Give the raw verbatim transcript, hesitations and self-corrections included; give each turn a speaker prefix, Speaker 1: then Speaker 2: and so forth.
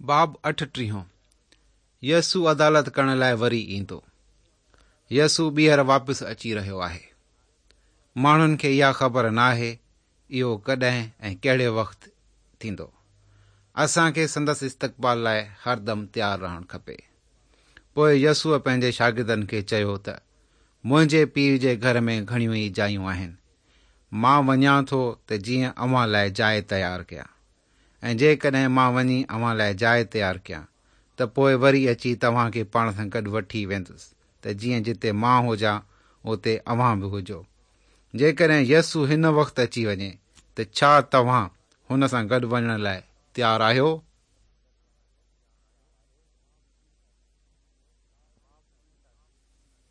Speaker 1: باب اٺٽيهون يسوع عدالت ڪرڻ لاء وري ايندو. يسوع ٻيهر واپس اچي رهيو آهي. ماڻهن کي اها خبر ناهي اهو ڪڏهن ۽ ڪهڙي وقت ٿيندو. اسان کي سندس استقبال لاء هردم تيار رهڻ کپي. پوء يسوع پنهنجي شاگردن کي چيو ته منهنجي پيء جي گهر ۾ گهڻيون ئي جايون آهن. مان وڃان ٿو ته جيئن اوهان لاء جاء تيار ڪيان. ۽ جيڪڏهن مان وڃي اوهان لاء جاء تيار ڪيان ته پوء وري اچي توهان کي پاڻ سان گڏ وٺي ويندس ته جيئن جتي مان هجان اتي اوهان به هجو. جيڪڏهن يسوع هن وقت اچي وڃي ته ڇا توهان هن سان گڏ وڃڻ لاء تيار آهيو؟